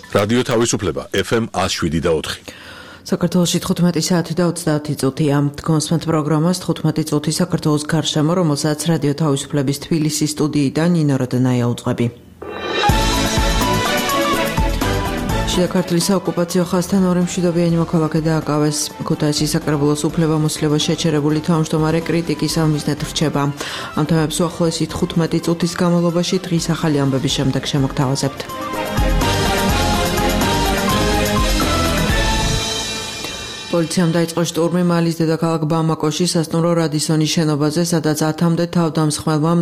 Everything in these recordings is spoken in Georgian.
რადიო თავისუფლება FM 107.4. საქართველოში 15 საათი და 30 წუთია. კონსმენტ პროგრამას 15 წუთი საქართველოს გარშემო, რომელსაც რადიო თავისუფლების თბილისის სტუდიიდან ნინო როდნაია უძღვები. შიდა ქართლის საოკუპაციო ხაზთან ორი მშვიდობიანი მოქალაქე დააკავეს. ქუთაისის საკრებულოს უფლებამოსილება შეჩერებული თავმჯდომარე კრიტიკის ამიზნად რჩება. ამ თემებს უახლოესი 15 წუთის განმავლობაში დღის ახალი ამბების შემდეგ შემოგთავაზებთ. პოლიციამ დაიწყო შტურმი მალის დედაქალაქ ბამაკოში სასტუმრო რადისონის შენობაზე, სადაც 10-მდე თავდამსხმელმა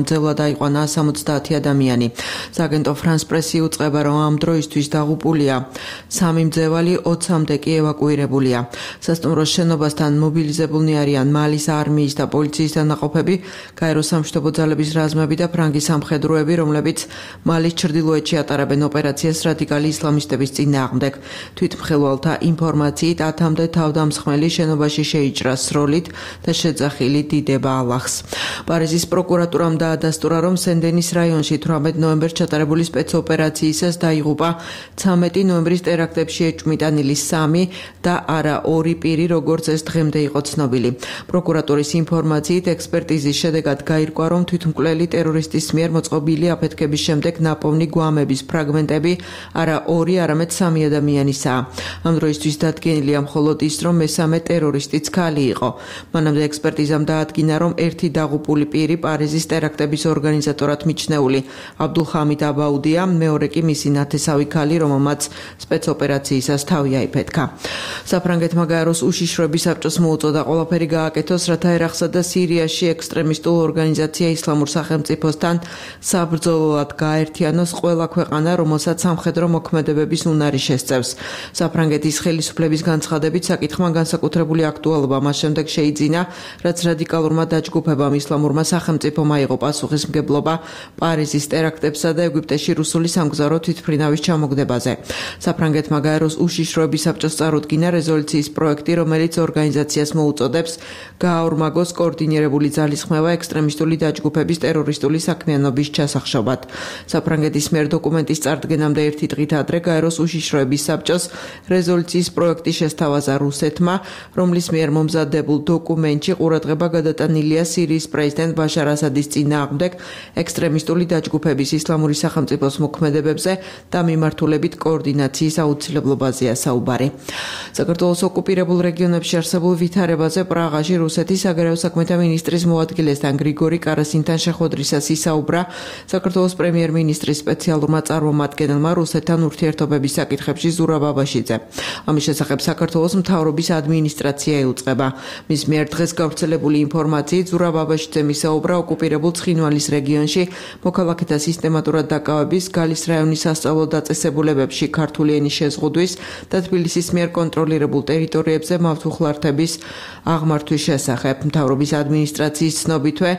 მძევლად აიყვანა 70 ადამიანი. სააგენტო ფრანს პრესი უწყება, რომ ამ დროისთვის დაღუპულია 3 მძევალი, 20-მდე კი ევაკუირებულია. სასტუმროს შენობასთან მობილიზებულნი არიან მალის არმიის და პოლიციის დანაყოფები, გაეროს სამშვიდობო ძალების რაზმები და ფრანგის სამხედროები, რომლებიც მალის ჩრდილოეთში ატარებენ ოპერაციას რადიკალი ისლამისტების წინააღმდეგ. თვითმხილველთა ინფორმაციით 10-მდე თავდამსხმელი შენობაში შეიჭრა სროლით და შეძახილი დიდება ალახს. პარიზის პროკურატურამ დაადასტურა, რომ სენ-დენის რაიონში 18 ნოემბერს ჩატარებული სპეცოპერაციისას დაიღუპა 13 ნოემბრის ტერაქტებში ეჭვმიტანილი 3 და არა 2 პირი, როგორც ეს დღემდე იყო ცნობილი. პროკურატურის ინფორმაციით ექსპერტიზის შედეგად გაირკვა, რომ თვითმკვლელი ტერორისტის მიერ მოწყობილი აფეთქების შემდეგ ნაპოვნი გვამების ფრაგმენტები არა 2, არამედ 3 ადამიანისაა. ამ დროისთვის დადგენილია მხოლოდ ის, რომ მესამე ტერორისტიც ქალი იყო. მანამდე ექსპერტიზამ დაადგინა, რომ ერთი დაღუპული პირი პარიზის ტერაქტების ორგანიზატორად მიჩნეული აბდულხამიდ აბაუდია, მეორე კი მისი ნათესავი ქალი, რომელმაც სპეცოპერაციისას თავი აიფეთქა. საფრანგეთმა გაეროს უშიშროების საბჭოს მოუწოდა ყველაფერი გააკეთოს, რათა ერაყსა და სირიაში ექსტრემისტულ ორგანიზაცია ისლამურ სახელმწიფოსთან საბრძოლოდ გააერთიანოს ყველა ქვეყანა, რომელსაც სამხედრო მოქმედებების უნარი შესწევს. საფრანგეთის ხელისუფლების განცხადებით საკითხმა განსაკუთრებული აქტუალობა მას შემდეგ შეიძინა, რაც რადიკალურმა დაჯგუფებამ ისლამურმა სახელმწიფომ აიღო პასუხისმგებლობა პარიზის ტერაქტებსა და ეგვიპტეში რუსული სამგზავრო თვითმფრინავის ჩამოგდებაზე. საფრანგეთმა გაეროს უშიშროების საბჭოს წარუდგინა რეზოლუციის პროექტი, რომელიც ორგანიზაციას მოუწოდებს გააორმაგოს კოორდინირებული ძალისხმევა ექსტრემისტული დაჯგუფების ტერორისტული საქმიანობის ჩასახშობად. საფრანგეთის მიერ დოკუმენტის წარდგენამდე ერთი დღით ადრე გაეროს უშიშროების საბჭოს რეზოლუციის პროექტი შესთავაზა რუსეთმა, რომლის მიერ მომზადებულ დოკუმენტში ყურადღება გადატანილია სირიის პრეზიდენტ ბაშარ ასადის წინააღმდეგ ექსტრემისტული დაჯგუფების ისლამური სახელმწიფოს მოქმედებებზე და მიმართულებით კოორდინაციის აუცილებლობაზეა საუბარი. საქართველოს ოკუპირებულ რეგიონებში არსებულ ვითარებაზე პრაღაში რუსეთის საგარეო საქმეთა მინისტრის მოადგილესთან გრიგორი კარასინთან შეხვედრისას ისაუბრა საქართველოს პრემიერ-მინისტრის სპეციალურმა წარმომადგენელმა რუსეთთან ურთიერთობების საკითხებში ზურაბ აბაშიძე. ამის შესახებ საქართველოს მთავრობის ადმინისტრაცია იუწყება. მის მიერ დღეს გავრცელებული ინფორმაციით ზურაბ აბაშიძემ ისაუბრა ოკუპირებულ ცხინვალის რეგიონში მოქალაქეთა სისტემატურად დაკავების, გალის რაიონის სასწავლო დაწესებულებებში ქართული ენის შეზღუდვის და თბილისის მიერ კონტროლირებულ ტერიტორიებზე მავთუხლართების აღმართვის შესახებ. მთავრობის ადმინისტრაციის ცნობითვე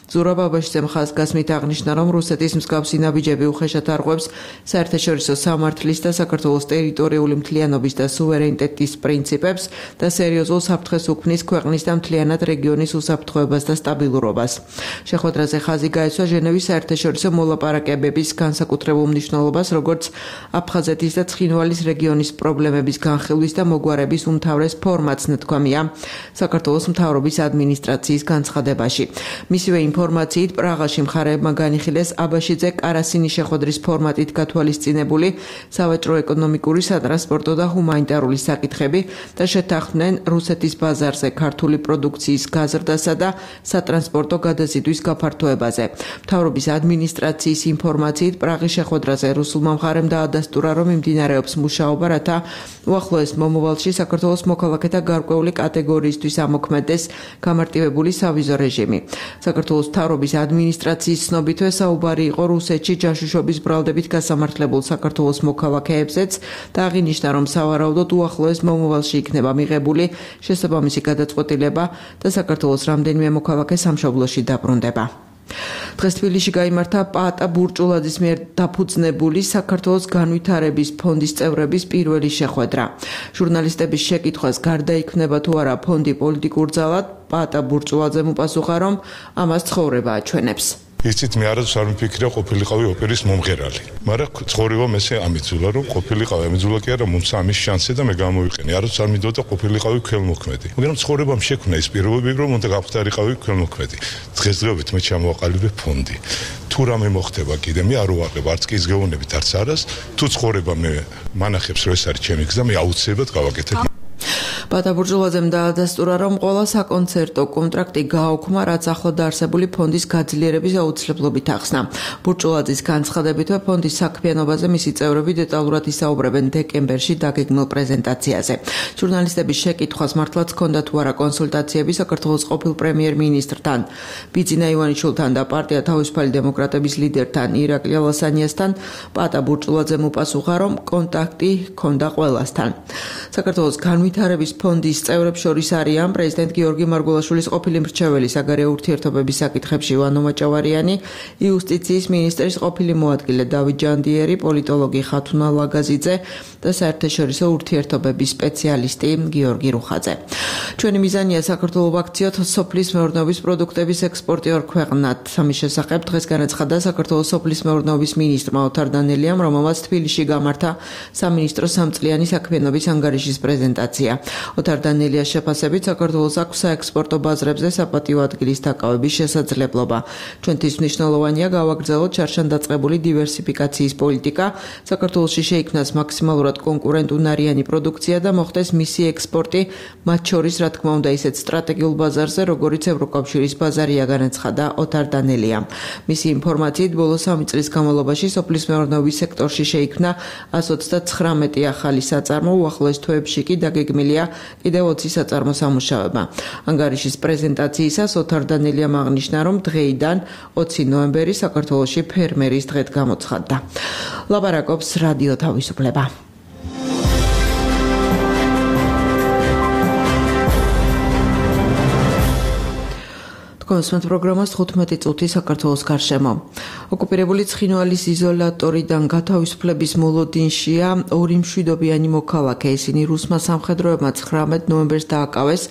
ზურაბ აბაშიძემ ხაზგასმით აღნიშნა, რომ რუსეთის მსგავსი ნაბიჯები უხეშად არღვევს საერთაშორისო სამართლის და საქართველოს ტერიტორიული მთლიანობის და სუვერენიტეტის პრინციპებს და სერიოზულ საფრთხეს უქმნის ქვეყნის და მთლიანად რეგიონის უსაფრთხოებას და სტაბილურობას. შეხვედრაზე ხაზი გაეცვა ჟენევის საერთაშორისო მოლაპარაკებების განსაკუთრებულ მნიშვნელობას, როგორც აფხაზეთის და ცხინვალის რეგიონის პრობლემების განხილვის და მოგვარების უმთავრეს ფორმატს ნათქვამია საქართველოს მთავრობის ადმინისტრაციის განცხადებაში. მისივე ინფორმაციით პრაღაში მხარეებმა განიხილეს აბაშიძე კარასინის შეხვედრის ფორმატით გათვალისწინებული სავაჭრო ეკონომიკური, სატრანსპორტო და ჰუმანიტარული საკითხები და შეთანხმდნენ რუსეთის ბაზარზე ქართული პროდუქციის გაზრდასა და სატრანსპორტო გადაზიდვის გაფართოებაზე. მთავრობის ადმინისტრაციის ინფორმაციით პრაღის შეხვედრაზე რუსულმა მხარემ დაადასტურა, რომ მიმდინარეობს მუშაობა, რათა უახლოეს მომავალში საქართველოს მოქალაქეთა გარკვეული კატეგორიისთვის ამოქმედდეს გამარტივებული სავიზო რეჟიმი. საქართველოს მთავრობის ადმინისტრაციის ცნობითვე საუბარი იყო რუსეთში ჯაშუშობის ბრალდებით გასამართლებულ საქართველოს მოქალაქეებზეც და აღინიშნა, რომ სავარაუდოდ უახლოეს მომავალში იქნება მიღებული შესაბამისი გადაწყვეტილება და საქართველოს რამდენიმე მოქალაქე სამშობლოში დაბრუნდება. დღეს თბილისში გაიმართა პაატა ბურჭულაძის მიერ დაფუძნებული საქართველოს განვითარების ფონდის წევრების პირველი შეხვედრა. ჟურნალისტების შეკითხვას გარდა იქნება თუ არა ფონდი პოლიტიკურ ძალად, პაატა ბურჭულაძემ უპასუხა, რომ ამას ცხოვრება აჩვენებს. იცით მე არასდროს არ მიფიქრია ყოფილიყავი ოპერის მომღერალი. მაგრამ ცხოვრება მესე ამიძულა რომ ყოფილიყავი ამიძულა კი არა მომცა ამის შანსი და მე გამოვიყენე. არასდროს არ მიდოდა ყოფილიყავი ქველმოქმედი. მაგრამ ცხოვრებამ შექმნა ის პირობები რომ უნდა გავხდარიყავი ქველმოქმედი. დღესდღეობით მე ჩამოვაყალიბე ფონდი. თუ რამე მოხდება კიდე მე არ უარყებ არც კი ის გეუბნებით არც არას თუ ცხოვრება მე მანახებს რომ ეს არის ჩემი გზა მე აუცილებლად გავაკეთებ. პატა ბურჯულაძემ დაადასტურა, რომ ყველა საკონცერტო კონტრაქტი გააუქმა, რაც ახლო დაარსებული ფონდის გაძლიერების აუცილებლობით ახსნა. ბურჯულაძის განცხადებით, ფონდის საქმიანობაზე მისი წევრები დეტალურად ისაუბრებენ დეკემბერში დაგეგმილ პრეზენტაციაზე. ჟურნალისტების შეკითხვას მართლაც ჰქონდა თუ არა კონსულტაციები საქართველოს ყოფილ პრემიერ-მინისტრთან, ბიძინა ივანიშვილთან და პარტია თავისუფალი დემოკრატების ლიდერთან ირაკლი ალასანიასთან, პატა ბურჯულაძემ უპასუხა, რომ კონტაქტი ჰქონდა ყველასთან. საქართველოს განვითარების ფონდის წევრებს შორის არიან პრეზიდენტ გიორგი მარგველაშვილის ყოფილი მრჩეველი საგარეო ურთიერთობების საკითხებში ივანო მაჭავარიანი, იუსტიციის მინისტრის ყოფილი მოადგილე დავით ჯანდიერი, პოლიტოლოგი ხათუნა ლაგაზიძე და საერთაშორისო ურთიერთობების სპეციალისტი გიორგი რუხაძე. ჩვენი მიზანია საქართველოს ვაქციოთ სოფლის მეურნეობის პროდუქტების ექსპორტი ორ ქვეყნად. ამის შესახებ დღეს განაცხადა საქართველოს სოფლის მეურნეობის მინისტრმა ოთარ დანელიამ, რომელმაც თბილისში გამართა სამინისტრო სამწლიანი საქმიანობის ანგარიშის პრეზენტაცია. ოთარ დანელიას შეფასებით საქართველოს აქვს საექსპორტო ბაზრებზე საპატიო ადგილის დაკავების შესაძლებლობა. ჩვენთვის მნიშვნელოვანია გავაგრძელოთ ჩარჩანდაწყებული დივერსიფიკაციის პოლიტიკა, საქართველოში შეიქმნას მაქსიმალურად კონკურენტუნარიანი პროდუქცია და მოხდეს მისი ექსპორტი, მათ შორის რა თქმა უნდა ისეთ სტრატეგიულ ბაზარზე, როგორიც ევროკავშირის ბაზარია, განაცხადა ოთარ დანელიამ. მისი ინფორმაციით, ბოლო 3 წლის განმავლობაში სოფლის მეურნეობის სექტორში შეიქმნა 129 ახალი საწარმო, უახლოეს თვეებში კი დაგეგმილია კიდევ 20 საწარმო სამუშაოება. ანგარიშის პრეზენტაციისას ოთარ დანელიამ აღნიშნა, რომ დღეიდან 20 ნოემბერი საქართველოში ფერმერის დღედ გამოცხადდა. ლაპარაკობს რადიო თავისუფლება. კონსუმენტ პროგრამას 15 წუთი საქართველოს გარშემო. ოკუპირებული ცხინვალის იზოლატორიდან გათავისუფლების მოლოდინშია 2 მშვიდობიანი მოქალაქე. ისინი რუსმა სამხედროებმა 19 ნოემბერს დააკავეს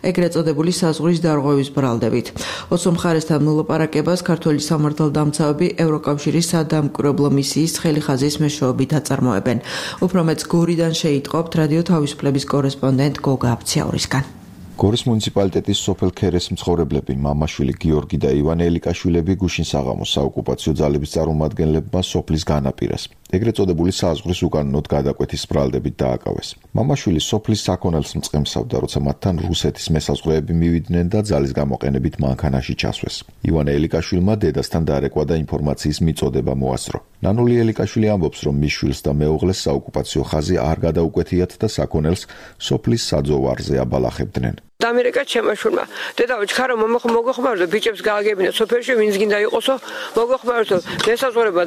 ეგრეთ წოდებული საზღვრის დარღვევის ბრალდებით. ოცო მხარესთან მოლაპარაკებას ქართველი სამართალდამცავები ევროკავშირის სადამკვირვებლო მისიის ცხელი ხაზის მეშვეობით აწარმოებენ. უფრო მეც გორიდან შეიტყობთ რადიო თავისუფლების კორესპონდენტ გოგა აფციაურისგან. გორის მუნიციპალიტეტის სოფელ ქერეს მცხოვრებლები მამაშვილი გიორგი და ივანე ელიკაშვილები გუშინ საღამოს საოკუპაციო ძალების წარმომადგენლებმა სოფლის განაპირას ეგრეთ წოდებული საზღვრის უკანონოდ გადაკვეთის ბრალდებით დააკავეს. მამაშვილი სოფლის საქონელს მწყემსავდა, როცა მათთან რუსეთის მესაზღვრეები მივიდნენ და ძალის გამოყენებით მანქანაში ჩასვეს. ივანე ელიკაშვილმა დედასთან დაარეკვა და ინფორმაციის მიწოდება მოასწრო. ნანული ელიკაშვილი ამბობს, რომ მის შვილს და მეუღლეს საოკუპაციო ხაზი არ გადაუკვეთიათ და საქონელს სოფლის საძოვარზე აბალახებდნენ. ამერიკა ჩემაშვილმა დედაო ჩქარო მოგეხმარო ბიჭებს გააგებინა სოფელში ვინც გინდა იყოსო მოგეხმარო მესაზღვრება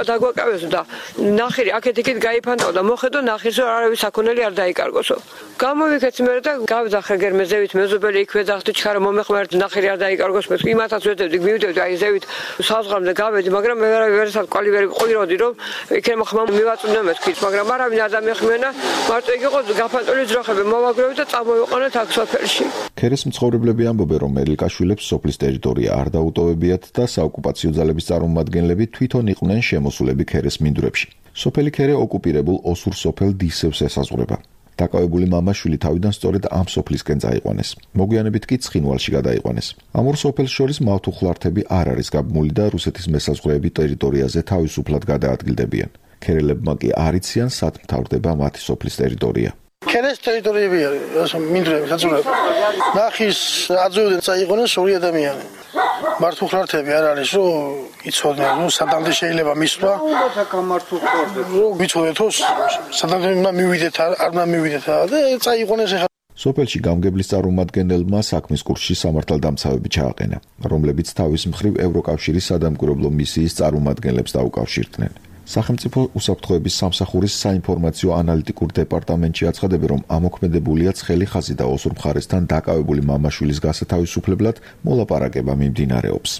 დაგვაკავესო და ნახირი აქეთ-იქით გაიფანტაო და მოხედო ნახირს რომ არავის საქონელი არ დაიკარგოსო გამოვიქეცი მე და გავძახე გერმეზევით მეზობელი იქვე დახტი ჩქარო მომეხმარეთ ნახირი არ დაიკარგოს მე იმათაც ვედებდი მივიდევდი აი ზევით საზღვრამდე გავედი მაგრამ მე ვერასად კვალივერი ყოლიროდი რომ იქნებ ხმა მივაწუნდა მეთქით მაგრამ არავინ არ დამეხმენა მარტო იგი იყო გაფანტული ძროხები მოვაგროვე და წამოვიყვანეთ აქ სოფელში. ქერეს მცხოვრებლები ამბობენ, რომ ელიკაშვილებს სოფლის ტერიტორია არ დაუტოვებიათ და საოკუპაციო ძალების წარმომადგენლები თვითონ იყვნენ შემოსულები ქერეს მინდვრებში. სოფელი ქერე ოკუპირებულ ოსურ სოფელ დისევს ესაზღვრება. დაკავებული მამაშვილი თავიდან სწორედ ამ სოფლისკენ წაიყვანეს. მოგვიანებით კი ცხინვალში გადაიყვანეს. ამ ორ სოფელს შორის მავთუხლართები არ არის გაბმული და რუსეთის მესაზღვრეები ტერიტორიაზე თავისუფლად გადაადგილდებიან. ქერელებმა კი არ იციან, სად მთავრდება მათი სოფლის ტერიტორია. ქერეს ტერიტორიები არის, მინდვრები, საწურები. ნახის აძოვდნენ წაიყვანეს ორი ადამიანი. მართუხლართები არ არის, რომ იცოდნენ, რომ სადამდე შეიძლება მისვლა. რომ ვიცოდეთ, რომ სადამდე უნდა მივიდეთ, არ უნდა მივიდეთ და წაიყვანეს ახლა. სოფელში გამგებლის წარმომადგენელმა საქმის კურსში სამართალდამცავები ჩააყენა, რომლებიც თავის მხრივ ევროკავშირის სადამკვირვებლო მისიის წარმომადგენლებს დაუკავშირდნენ. სახელმწიფო უსაფრთხოების სამსახურის საინფორმაციო ანალიტიკურ დეპარტამენტში აცხადებენ, რომ ამოქმედებულია ცხელი ხაზი და ოსურ მხარესთან დაკავებული მამაშვილის გასათავისუფლებლად მოლაპარაკება მიმდინარეობს.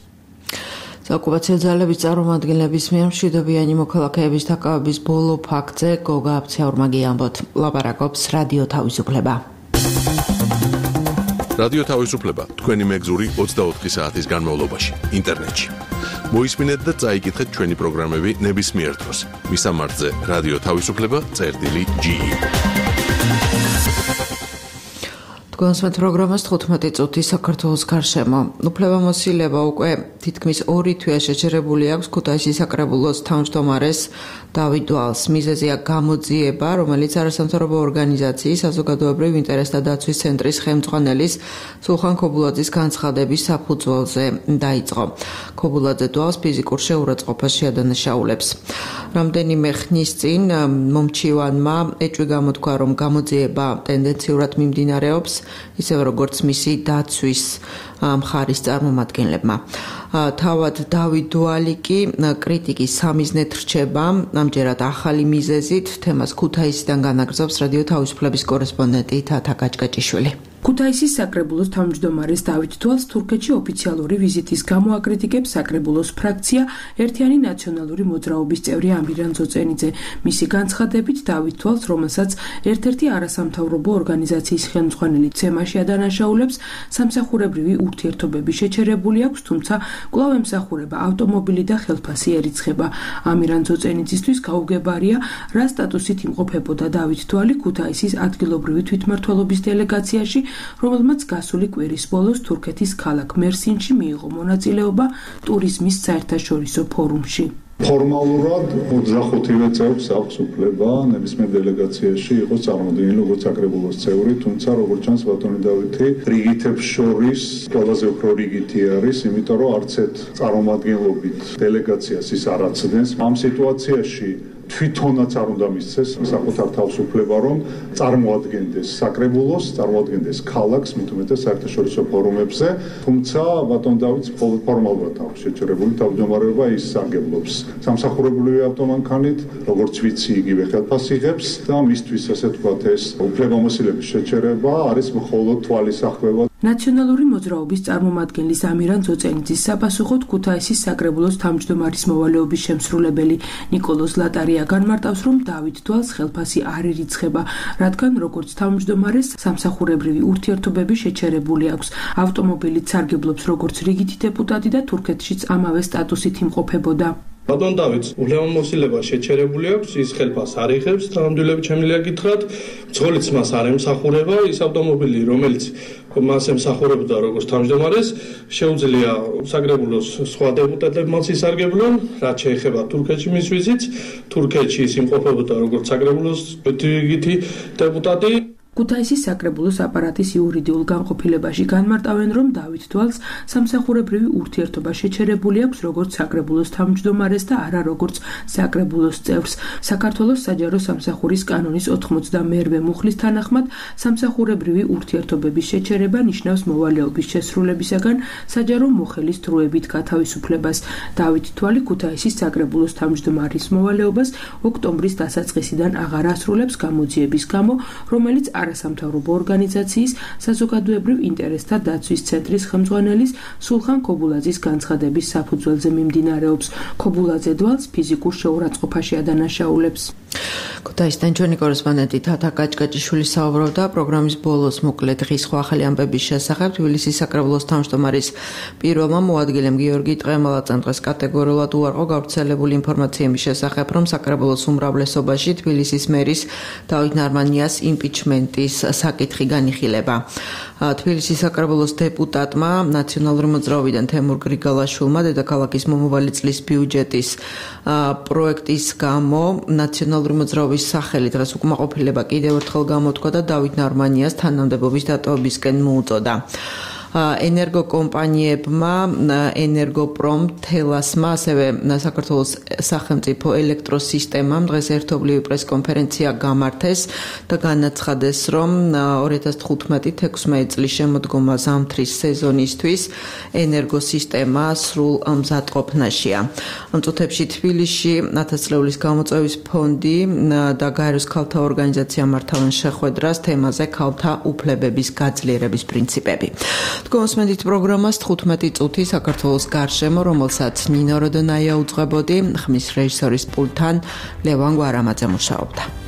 საოკუპაციო ძალების წარმომადგენლების მიერ მშვიდობიანი მოქალაქეების დაკავების ბოლო ფაქტზე გოგა აფციაურმა გიამბოთ. ლაპარაკობს რადიო თავისუფლება. რადიო თავისუფლება თქვენი მეგზური 24 საათის განმავლობაში ინტერნეტში. მოისმინეთ და წაიკითხეთ ჩვენი პროგრამები ნებისმიერ დროს. მისამართზე რადიო თავისუფლება წერტილი.g. გონსმეთ პროგრამას 15 წუთი საქართველოს გარშემო. უფლებამოსილება უკვე თითქმის 2 თვეა შეჩერებული აქვს ქუთაისის საკრებულოს თავმჯდომარეს დავით დვალს. მიზეზია გამოძიება, რომელიც არასამთავრობო ორგანიზაციის საზოგადოებრივ ინტერესთა დაცვის ცენტრის ხელმძღვანელის სულხან ქობულაძის განცხადების საფუძველზე დაიწყო. ქობულაძე დვალს ფიზიკურ შეურაცხყოფაში ადანაშაულებს. რამდენიმე ხნის წინ მომჩივანმა ეჭვი გამოთქვა, რომ გამოძიება ტენდენციურად მიმდინარეობს, ისევ როგორც მისი დაცვის მხარის წარმომადგენლებმა. თავად დავით დვალი კი კრიტიკის სამიზნედ რჩება, ამჯერად ახალი მიზეზით. თემას ქუთაისიდან განაგრძობს რადიო თავისუფლების კორესპონდენტი თათა კაჭკაჭიშვილი. ქუთაისის საკრებულოს თავმჯდომარეს დავით დვალს თურქეთში ოფიციალური ვიზიტის გამო აკრიტიკებს საკრებულოს ფრაქცია ერთიანი ნაციონალური მოძრაობის წევრი ამირან ძოწენიძე. მისი განცხადებით დავით დვალს, რომელსაც ერთ-ერთი არასამთავრობო ორგანიზაციის ხელმძღვანელი ცემაში ადანაშაულებს, სამსახურებრივი ურთიერთობები შეჩერებული აქვს, თუმცა კვლავ ემსახურება ავტომობილი და ხელფასი ერიცხება. ამირან ძოწენიძისთვის გაუგებარია, რა სტატუსით იმყოფებოდა დავით დვალი ქუთაისის ადგილობრივი თვითმმართველობის დელეგაციაში, რომელმაც გასული კვირის ბოლოს თურქეთის ქალაქ მერსინში მიიღო მონაწილეობა ტურიზმის საერთაშორისო ფორუმში. ფორმალურად 25-ვე წევს აქვს უფლება ნებისმიერ დელეგაციაში იყოს წარმოდგენილი როგორც საკრებულოს წევრი, თუმცა როგორც ჩანს ბატონი დავითი რიგითებს შორის ყველაზე უფრო რიგითი არის, იმიტომ რომ არც ერთ წარმომადგენლობით დელეგაციას ის არ აცდენს. ამ სიტუაციაში თვითონაც არ უნდა მისცეს საკუთარ თავისუფლება, რომ წარმოადგენდეს საკრებულოს, წარმოადგენდეს ქალაქს, მით უმეტეს საერთაშორისო ფორუმებზე, თუმცა ბატონ დავითს ფორმალურად აქვს შეჩერებული თავმჯდომარეობა, ის სარგებლობს სამსახურებრივი ავტომანქანით, როგორც ვიცი, იგივე ხელფასს იღებს და მისთვის ასე ვთქვათ ეს უფლებამოსილების შეჩერება არის მხოლოდ თვალისახვევა. ნაციონალური მოძრაობის წარმომადგენლის ამირან ძოწენიძის საპასუხოდ ქუთაისის საკრებულოს თავმჯდომარის მოვალეობის შემსრულებელი ნიკოლოზ ლატარია განმარტავს, რომ დავით დვალს ხელფასი არ ერიცხება, რადგან როგორც თავმჯდომარეს სამსახურებრივი ურთიერთობები შეჩერებული აქვს. ავტომობილით სარგებლობს როგორც რიგითი დეპუტატი და თურქეთშიც ამავე სტატუსით იმყოფებოდა. ბატონ დავითს უფლებამოსილება შეჩერებული აქვს, ის ხელფასს არ იღებს, თანამდებობები შემიძლია გითხრათ, მძღოლიც მას არ ემსახურება, ის ავტომობილი, რომელიც მას ემსახურებოდა როგორც თავმჯდომარეს, შეუძლია საკრებულოს სხვა დეპუტატებმაც ისარგებლონ, რაც შეეხება თურქეთში მის ვიზიტს, თურქეთში ის იმყოფებოდა როგორც საკრებულოს რიგითი დეპუტატი. ქუთაისის საკრებულოს აპარატის იურიდიულ განყოფილებაში განმარტავენ, რომ დავით დვალს სამსახურებრივი ურთიერთობა შეჩერებული აქვს როგორც საკრებულოს თავმჯდომარეს და არა როგორც საკრებულოს წევრს. საქართველოს საჯარო სამსახურის კანონის 92-მე მუხლის თანახმად სამსახურებრივი ურთიერთობების შეჩერება ნიშნავს მოვალეობის შესრულებისაგან საჯარო მოხელის დროებით გათავისუფლებას. დავით დვალი ქუთაისის საკრებულოს თავმჯდომარის მოვალეობას ოქტომბრის დასაწყისიდან აღარ ასრულებს გამოძიების გამო, რომელიც არასამთავრობო ორგანიზაციის საზოგადოებრივ ინტერესთა დაცვის ცენტრის ხელმძღვანელის სულხან ქობულაძის განცხადების საფუძველზე მიმდინარეობს. ქობულაძე დვალს ფიზიკურ შეურაცხყოფაში ადანაშაულებს. ქუთაისიდან ჩვენი კორესპონდენტი თათა კაჭკაჭიშვილი საუბრობდა პროგრამის ბოლოს მოკლედ დღის სხვა ახალი ამბების შესახებ. თბილისის საკრებულოს თავმჯდომარის პირველმა მოადგილემ გიორგი ტყემალაძემ დღეს კატეგორიულად უარყო გავრცელებული ინფორმაციების შესახებ, რომ საკრებულოს უმრავლესობაში თბილისის მერის დავით ნარმანიას იმპიჩმენტის საკითხი განიხილება. თბილისის საკრებულოს დეპუტატმა ნაციონალური მოძრაობიდან თემურ გრიგალაშვილმა დედაქალაქის მომავალი წლის ბიუჯეტის პროექტის გამო ნაციონალური მოძრაობის სახელი დღეს უკმაყოფილება კიდევ ერთხელ გამოთქვა და დავით ნარმანიას თანამდებობის დატოვებისკენ მოუწოდა. ენერგოკომპანიებმა, ენერგოპრომ, თელასმა, ასევე საქართველოს სახელმწიფო ელექტროსისტემამ დღეს ერთობლივი პრესკონფერენცია გამართეს და განაცხადეს, რომ 2015-16 წლის შემოდგომა ზამთრის სეზონისთვის ენერგოსისტემა სრულ მზადყოფნაშია. ამ წუთებში თბილისში 1000 წლეულის გამოწვევის ფონდი და გაეროს ქალთა ორგანიზაცია მართავენ შეხვედრას თემაზე ქალთა უფლებების გაძლიერების პრინციპები. გონსმენდით პროგრამას 15 წუთი საქართველოს გარშემო, რომელსაც ნინო როდონაია უძღვებოდი, ხმის რეჟისორის პულტთან ლევან გვარამაძე მუშაობდა.